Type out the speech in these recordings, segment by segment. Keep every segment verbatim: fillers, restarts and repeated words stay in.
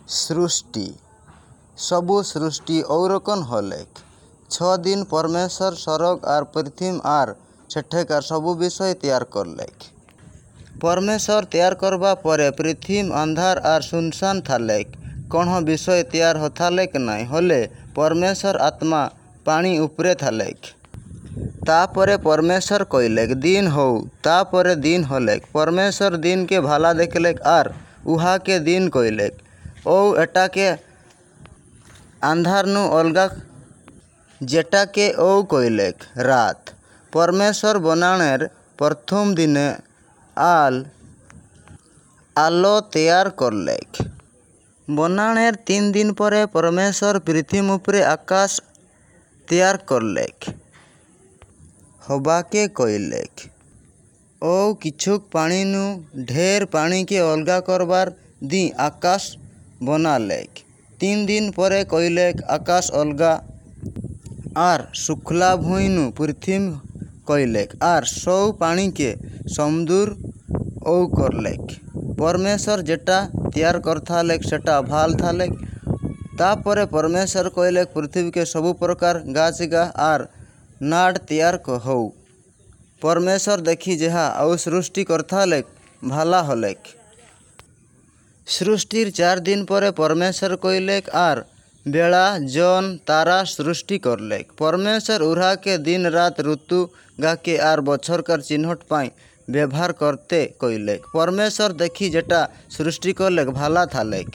ସୃଷ୍ଟି ସବୁ ସୃଷ୍ଟି ଔରକନ୍ ହଲେକ୍। ଛ ଦିନ ପରମେଶ୍ୱର ସରଗ ଆର୍ ପୃଥିମ୍ ଆର୍ ସେଠେକାର ସବୁ ବିଷୟ ତିଆର କରଲେକ୍। ପରମେଶ୍ୱର ତିଆର କରବା ପରେ ପୃଥିମ୍ ଅନ୍ଧାର ଆର୍ ସୁନସାନ ଥାଲେକ୍, କଣୋ ବିଷୟ ତିଆର ହଥାଲେକ୍ ନାଇଁ, ହଲେ ପରମେଶ୍ୱରର ଆତ୍ମା ପାଣି ଉପରେ ଥାଲେକ୍। ତାପରେ ପରମେଶ୍ୱର କଇଲେକ୍, ଦିନ୍ ହଉ, ତାପରେ ଦିନ୍ ହଲେକ୍। ପରମେଶ୍ୱର ଦିନ୍‌କେ ଭାଲା ଦେଖଲେକ୍ ଆର୍ ଉହାକେ ଦିନ୍ କଇଲେକ୍, ଅଉ ଏଟାକେ ଆନ୍ଧାରନୁ ଅଲଗା ଯେଟାକେ ଅଉ କଇଲେକ୍ ରାତ୍। ପରମେଶ୍ୱର ବନାଣେର ପ୍ରଥମ ଦିନେ ଆଲ ଆଲୋ ତିଆର କରଲେକ୍। ବନାଣେର ତିନ୍ ଦିନ୍ ପରେ ପରମେଶ୍ୱର ପୃଥିମ୍ ଉପରେ ଆକାଶ ତିଆର କରଲେକ୍। ହବାକେ କଇଲେକ୍। ଅଉ କିଛୁକ୍ ପାଣିନୁ ଢେର୍ ପାଣିକେ ଅଲଗା କରବାର ଦିଁ ଆକାଶ ବନାଲେକ୍। ତିନ୍ ଦିନ୍ ପରେ କଇଲେକ୍, ଆକାଶ ଅଲଗା ଆର୍ ଶୁଖ୍ଲା ଭୁଇଁନୁ ପୃଥିମ୍ କଇଲେକ୍ ଆର୍ ସଉ ପାଣିକେ ସମୁଦୁର୍ ଅଉ କରଲେକ୍। ପରମେଶ୍ୱର ଯେଟା ତିଆର କରଥାଲେକ୍ ସେଟା ଭାଲ୍ ଥାଲେକ୍। ତାପରେ ପରମେଶ୍ୱର କଇଲେକ୍, ପୃଥିମ୍‌କେ ସବୁ ପ୍ରକାର ଗାଛ୍‌ଗା ଆର୍ ନାଡ଼ ତିଆର ହଉ। ପରମେଶ୍ୱର ଦେଖି ଯେହା ଅଉ ସୃଷ୍ଟି କରଥାଲେକ୍ ଭାଲା ହଲେକ୍। ସୃଷ୍ଟିର ଚାର୍ ଦିନ୍ ପରେ ପରମେଶ୍ୱର କଇଲେକ୍, ଆର୍ ବେଳା ଜନ୍ ତାରା ସୃଷ୍ଟି କରଲେକ୍। ପରମେଶ୍ୱର ଉହ୍ରାକେ ଦିନ୍ ରାତ୍, ଋତୁ ଗାକେ ଆର୍ ବଛର୍‌କାର ଚିହ୍ନଟ୍ ପାଇଁ ବେବହାର କରତେ କଇଲେକ୍। ପରମେଶ୍ୱର ଦେଖି ଯେଟା ସୃଷ୍ଟି କରଲେକ୍ ଭାଲା ଥାଲେକ୍।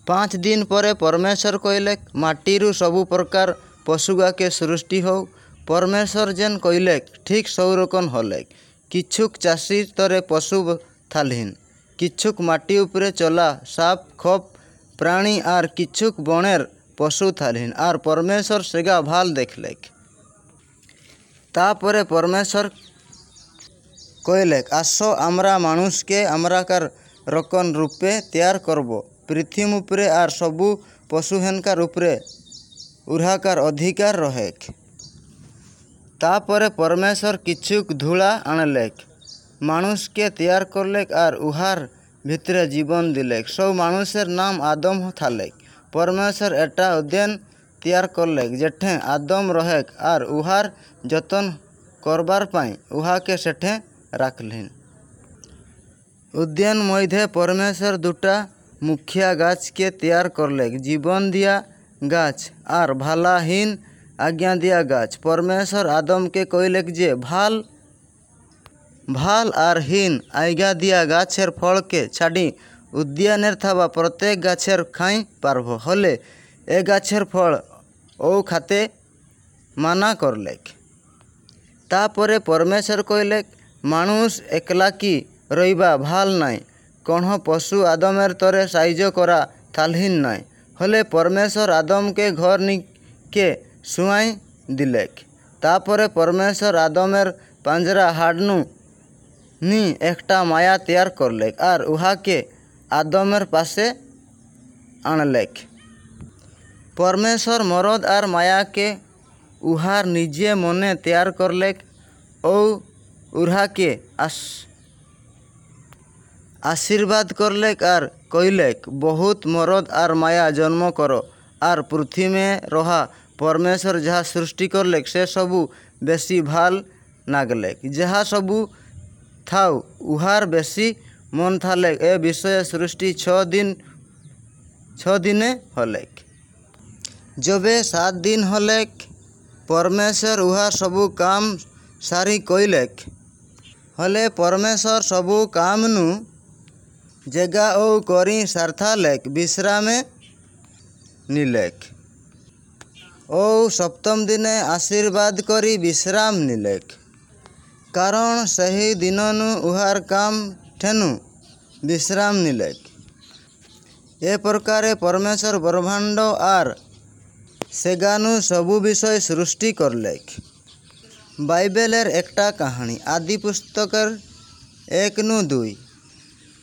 ପାଞ୍ଚ ଦିନ୍ ପରେ ପରମେଶ୍ୱର କଇଲେକ୍, ମାଟିରୁ ସବୁ ପ୍ରକାର ପଶୁଗାକେ ସୃଷ୍ଟି ହଉ। ପରମେଶ୍ୱର ଯେନ୍ କଇଲେକ୍ ଠିକ୍ ସଉରକନ୍ ହଲେକ୍। କିଛୁକ୍ ଚାଷୀର୍ ତରେ ପଶୁ ଥାଲିହ୍ନ, କିଛୁକ୍ ମାଟି ଉପରେ ଚଲା ସାପ୍ ଖପ୍ ପ୍ରାଣୀ ଆର୍ କିଛୁକ୍ ବଣେର୍ ପଶୁ ଥାଲିହ୍ନ, ଆର୍ ପରମେଶ୍ୱର ସେଗା ଭାଲ୍ ଦେଖଲେକ୍। ତାପରେ ପରମେଶ୍ୱର କଇଲେକ୍, ଆସ, ଆମ୍ରା ମାଣୁଷକେ ଆମ୍ରାକାର ରକନ୍ ରୂପେ ତିଆର କରବୋ, ପୃଥିମ୍ ଉପରେ ଆର୍ ସବୁ ପଶୁହେନ୍‌କାର ଉପରେ ଉହ୍ରାକାର ଅଧିକାର ରହେକ୍। ତାପରେ ପରମେଶ୍ୱର କିଛୁକ୍ ଧୁଳା ଆଣଲେକ୍, ମାଣୁଷକେ ତିଆର କରଲେକ୍ ଆର୍ ଉହାର ଭିତ୍ରେ ଜୀବନ୍ ଦିଲେକ୍। ସଉ ମାଣୁଷେର୍ ନାମ ଆଦମ୍ ଥାଲେକ୍। ପରମେଶ୍ୱର ଏଟା ଉଦ୍ୟାନ ତିଆର କରଲେକ୍ ଯେଠେଁ ଆଦମ୍ ରହେକ୍ ଆର୍ ଉହାର ଯତନ୍ କରବାର୍ ପାଇଁ ଉହାକେ ସେଠେଁ ରାଖଲିନ୍। ଉଦ୍ୟାନ ମଇଧେ ପରମେଶ୍ୱର ଦୁଟା ମୁଖ୍ୟା ଗାଛ୍‌କେ ତିଆର କରଲେକ୍, ଜୀବନ୍ ଦିଆ ଗାଛ୍ ଆର୍ ଭାଲା ହିନ୍ ଆଜ୍ଞା ଦିଆ ଗାଛ୍। ପରମେଶ୍ୱର ଆଦମ୍‌କେ କଇଲେକ୍ ଯେ ଭାଲ୍ ଭାଲ୍ ଆର୍ ହିନ୍ ଆଜ୍ଞା ଦିଆ ଗାଛେର୍ ଫଳକେ ଛାଡ଼ି ଉଦ୍ୟାନେର୍ ଥାବା ପ୍ରତ୍ୟେକ ଗାଛେର୍ ଖାଇଁ ପାରବ, ହଲେ ଏକ୍ ଗାଛେର୍ ଫଳ ଅଉ ଖାତେ ମାନା କରଲେକ୍। ତାପରେ ପରମେଶ୍ୱର କଇଲେକ୍, ମାଣୁଷ୍ ଏକ୍‌ଲାକି ରଇବା ଭାଲ୍ ନାଇଁ, କଣୋ ପଶୁ ଆଦମେର୍ ତରେ ସାହାଯ୍ୟ କରା ଥାଲିହ୍ନ ନାଇଁ। ହଲେ ପରମେଶ୍ୱର ଆଦମ୍‌କେ ଘର୍ ନିକେ ଶୁଆଇଁ ଦିଲେକ୍। ତାପରେ ପରମେଶ୍ୱର ଆଦମେର୍ ପାଞ୍ଜରା ହାଡ଼୍‌ନୁ ନି ଏକ୍‌ଟା ମାୟା ତିଆର କରଲେକ୍ ଆର୍ ଉହାକେ ଆଦମେର୍ ପାଶେ ଆଣଲେକ୍। ପରମେଶ୍ୱର ମରଦ୍ ଆର୍ ମାୟାକେ ଉହାର୍ ନିଜେ ମନେ ତିଆର କରଲେକ୍ ଅଉ ଉହ୍ରାକେ ଆଶୀର୍ବାଦ କରଲେକ୍ ଆର୍ କଇଲେକ୍, ବହୁତ୍ ମରଦ୍ ଆର୍ ମାୟା ଜନ୍ମ କର ଆର୍ ପୃଥିମେ ରହା। ପରମେଶ୍ୱର ଯାହା ସୃଷ୍ଟି କରଲେକ୍ ସେ ସବୁ ବେଶି ଭାଲ୍ ନାଗଲେକ୍। ଯାହା ସବୁ ଥାଉ ଉହାର ବେଶି ମନ୍ ଥାଲେକ୍। ଏ ବିଷୟ ସୃଷ୍ଟି ଛଅ ଦିନ୍ ଛଅ ଦିନେ ହଲେକ୍। ଯବେ ସାତ୍ ଦିନ୍ ହଲେକ୍, ପରମେଶ୍ୱର ଉହାର ସବୁ କାମ୍ ସାରି କଇଲେକ୍। ହଲେ ପରମେଶ୍ୱର ସବୁ କାମ୍‌ନୁ ଯେଗା ଅଉ କରି ସାରିଥାଲେକ୍, ବିଶ୍ରାମେ ନିଲେକ୍। ଅଉ ସପ୍ତମ୍ ଦିନେ ଆଶୀର୍ବାଦ କରି ବିଶ୍ରାମ ନିଲେକ୍, କାରଣ୍ ସେହି ଦିନନୁ ଉହାର କାମ୍ ଠେନୁ ବିଶ୍ରାମ ନିଲେକ୍। ଏ ପ୍ରକାରେ ପରମେଶ୍ୱର ବ୍ରହ୍ମାଣ୍ଡ ଆର୍ ସେଗାନୁ ସବୁ ବିଷୟ ସୃଷ୍ଟି କରଲେକ୍। ବାଇବେଲେର୍ ଏକ୍‌ଟା କାହାଣୀ। ଆଦିପୁସ୍ତକେର୍ ଏକ୍ ନୁ ଦୁଇ।